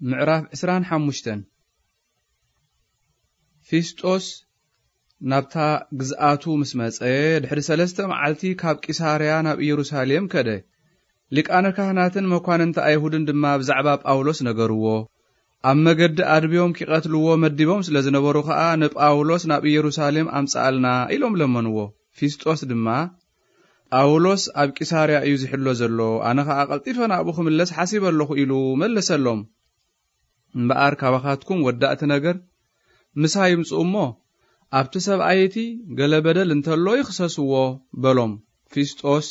ምዕራፍ ዕስራን ሓሙሽተን። ፊስጦስ ናብታ ግዝኣቱ ምስ መጸ፣ ድሕሪ ሰለስተ መዓልቲ ካብ ቂሳርያ ናብ ኢየሩሳሌም ከደ። ሊቃነ ካህናትን መኳንንቲ ኣይሁድን ድማ ብዛዕባ ጳውሎስ ነገርዎ። ኣብ መገዲ ኣድብዮም ኪቐትልዎ መዲቦም ስለ ዝነበሩ ኸኣ፣ ንጳውሎስ ናብ ኢየሩሳሌም ኣምጽኣልና ኢሎም ለመንዎ። ፊስጦስ ድማ፣ ጳውሎስ ኣብ ቂሳርያ እዩ ዝሕሎ ዘሎ፣ ኣነ ኸኣ ቀልጢፈ ናብኡ ክምለስ ሓሲበ ኣለኹ ኢሉ መለሰሎም። እምበኣር ካባኻትኩም ወዳእቲ ነገር ምሳይ ይምጽኡ እሞ፣ ኣብቲ ሰብኣይ እቲ ገለ በደል እንተሎ ይኽሰስዎ በሎም። ፊስጦስ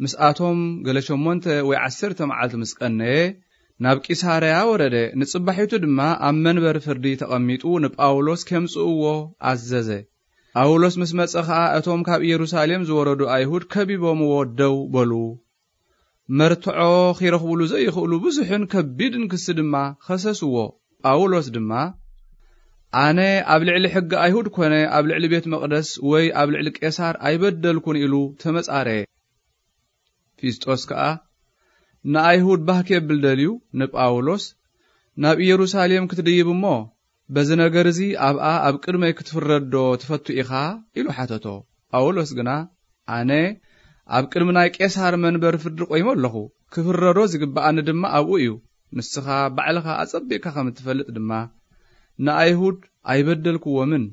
ምስኣቶም ገለ ሸሞንተ ወይ ዓሰርተ መዓልቲ ምስ ቀነየ፣ ናብ ቂሳርያ ወረደ። ንጽባሒቱ ድማ ኣብ መንበር ፍርዲ ተቐሚጡ ንጳውሎስ ኬምጽእዎ ኣዘዘ። ጳውሎስ ምስ መጸ ኸኣ፣ እቶም ካብ ኢየሩሳሌም ዝወረዱ ኣይሁድ ከቢቦምዎ ደው በሉ። መርትዖ ኺረኽቡሉ ዘይኽእሉ ብዙሕን ከቢድን ክሲ ድማ ኸሰስዎ። ጳውሎስ ድማ፣ ኣነ ኣብ ልዕሊ ሕጊ ኣይሁድ ኮነ ኣብ ልዕሊ ቤት መቕደስ ወይ ኣብ ልዕሊ ቄሳር ኣይበደልኩን ኢሉ ተመጻረየ። ፊስጦስ ከኣ ንኣይሁድ ባህ ኬብል ደልዩ ንጳውሎስ፣ ናብ ኢየሩሳሌም ክትድይብ እሞ፣ በዚ ነገር እዚ ኣብኣ ኣብ ቅድመይ ክትፍረድ ዶ ትፈቱ ኢኻ? ኢሉ ሓተቶ። ጳውሎስ ግና፣ ኣነ ኣብ ቅድሚ ናይ ቄሳር መንበር ፍርዲ ቆይመ ኣለኹ፣ ክፍረዶ ዝግብኣኒ ድማ ኣብኡ እዩ። ንስኻ ባዕልኻ ኣጸቢቕካ ከም እትፈልጥ ድማ፣ ንኣይሁድ ኣይበደልክዎምን።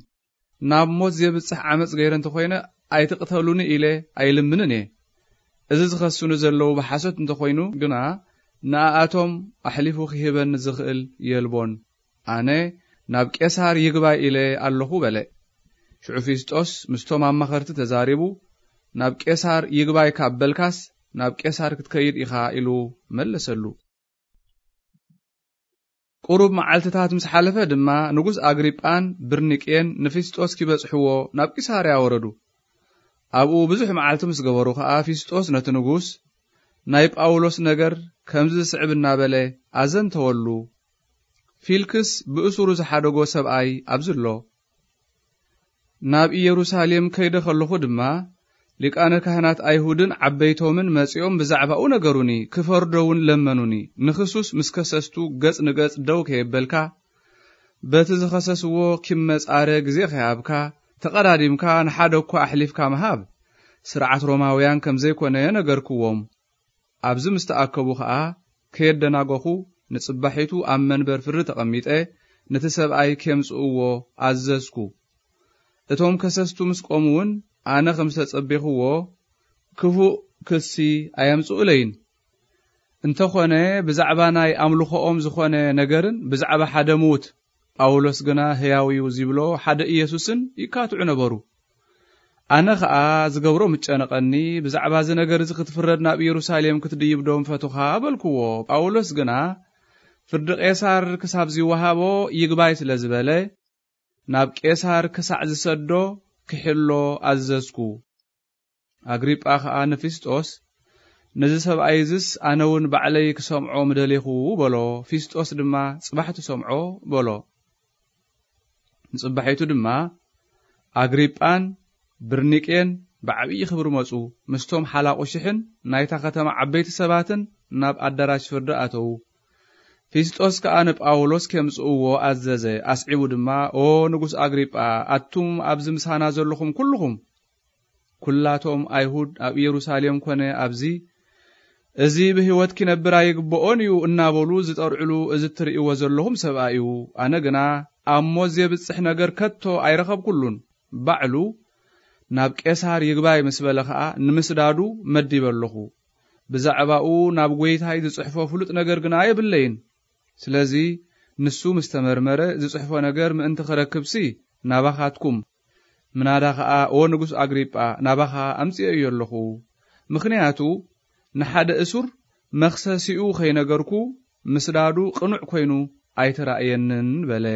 ናብ ሞት ዜብጽሕ ዓመጽ ገይረ እንተ ኾይነ፣ ኣይትቕተሉኒ ኢለ ኣይልምንን እየ። እዚ ዝኸሱኒ ዘለዉ ብሓሶት እንተ ኾይኑ ግና፣ ንኣኣቶም ኣሕሊፉ ኺህበኒ ዝኽእል የልቦን። ኣነ ናብ ቄሳር ይግባይ ኢለ ኣለኹ በለ። ሽዑ ፊስጦስ ምስቶም ኣማኸርቲ ተዛሪቡ፣ ናብ ቄሳር ይግባይ ካብ በልካስ፣ ናብ ቄሳር ክትከይድ ኢኻ ኢሉ መለሰሉ። ቁሩብ መዓልትታት ምስ ሓለፈ ድማ፣ ንጉስ ኣግሪጳን ብርኒቄን ንፊስጦስ ኪበጽሕዎ ናብ ቂሳርያ ወረዱ። ኣብኡ ብዙሕ መዓልቲ ምስ ገበሩ ኸኣ፣ ፊስጦስ ነቲ ንጉስ፣ ናይ ጳውሎስ ነገር ከምዚ ዝስዕብ እናበለ ኣዘንተወሉ። ፊልክስ ብእሱሩ ዝሓደጎ ሰብኣይ ኣብዚ ኣሎ። ናብ ኢየሩሳሌም ከይደ ኸለኹ ድማ፣ ሊቃነ ካህናት ኣይሁድን ዓበይቶምን መጺኦም ብዛዕባኡ ነገሩኒ፣ ክፈርዶ እውን ለመኑኒ። ንኽሱስ ምስ ከሰስቱ ገጽ ንገጽ ደው ከየበልካ፣ በቲ ዝኸሰስዎ ኪመጻረ ግዜ ከይሃብካ፣ ተቐዳዲምካ ንሓደ እኳ ኣሕሊፍካ ምሃብ፣ ስርዓት ሮማውያን ከም ዘይኮነ ነገርክዎም። ኣብዚ ምስ ተኣከቡ ኸኣ፣ ከየደናገኹ፣ ንጽባሒቱ ኣብ መንበር ፍርዲ ተቐሚጠ፣ ነቲ ሰብኣይ ኬምጽእዎ ኣዘዝኩ። እቶም ከሰስቱ ምስ ቆሙ እውን፣ ኣነ ከም ዝተጸቤኽዎ፣ ክፉእ ክሲ ኣየምጽኡለይን። እንተኾነ፣ ብዛዕባ ናይ ኣምልኾኦም ዝኾነ ነገርን ብዛዕባ ሓደ ምዉት፣ ጳውሎስ ግና ህያው እዩ ዚብሎ ሓደ ኢየሱስን ይካትዑ ነበሩ። ኣነ ኸኣ ዝገብሮ ምጨነቐኒ፣ ብዛዕባ እዚ ነገር እዚ ክትፍረድ ናብ ኢየሩሳሌም ክትድይብ ዶ ምፈቱኻ? በልክዎ። ጳውሎስ ግና፣ ፍርዲ ቄሳር ክሳብ ዚወሃቦ ይግባይ ስለ ዝበለ፣ ናብ ቄሳር ክሳዕ ዝሰዶ ክሕሎ ኣዘዝኩ። ኣግሪጳ ኸኣ ንፊስጦስ፣ ነዚ ሰብኣይ እዝስ ኣነ እውን ባዕለይ ክሰምዖ ምደሌኹ በሎ። ፊስጦስ ድማ፣ ጽባሕ ትሰምዖ በሎ። ንጽባሒቱ ድማ ኣግሪጳን ብርኒቄን ብዓብዪ ክብሪ መጹ። ምስቶም ሓላቑ ሽሕን ናይታ ከተማ ዓበይቲ ሰባትን ናብ ኣዳራሽ ፍርዲ ኣተዉ። ፊስጦስ ከኣ ንጳውሎስ ኬምጽእዎ ኣዘዘ። ኣስዒቡ ድማ፣ ኦ ንጉስ ኣግሪጳ፣ ኣቱም ኣብዚ ምሳና ዘለኹም ኩልኹም፣ ኩላቶም ኣይሁድ ኣብ ኢየሩሳሌም ኮነ ኣብዚ፣ እዚ ብህይወት ኪነብር ኣይግብኦን እዩ እናበሉ ዝጠርዕሉ እዚ እትርእይዎ ዘለኹም ሰብኣይ እዩ። ኣነ ግና ኣብ ሞት ዜብጽሕ ነገር ከቶ ኣይረኸብኩሉን። ባዕሉ ናብ ቄሳር ይግባይ ምስ በለ ኸኣ፣ ንምስዳዱ መዲበ ኣለኹ። ብዛዕባኡ ናብ ጐይታይ ዝጽሕፎ ፍሉጥ ነገር ግና የብለይን። ስለዚ ንሱ ምስ ተመርመረ፣ ዝጽሕፎ ነገር ምእንቲ ክረክብሲ፣ ናባኻትኩም፣ ምናዳ ኸኣ፣ ኦ ንጉስ ኣግሪጳ፣ ናባኻ ኣምጺኤዮ ኣለኹ። ምኽንያቱ፣ ንሓደ እሱር መኽሰሲኡ ኸይነገርኩ፣ ምስዳዱ ቅኑዕ ኰይኑ ኣይተራእየንን በለ።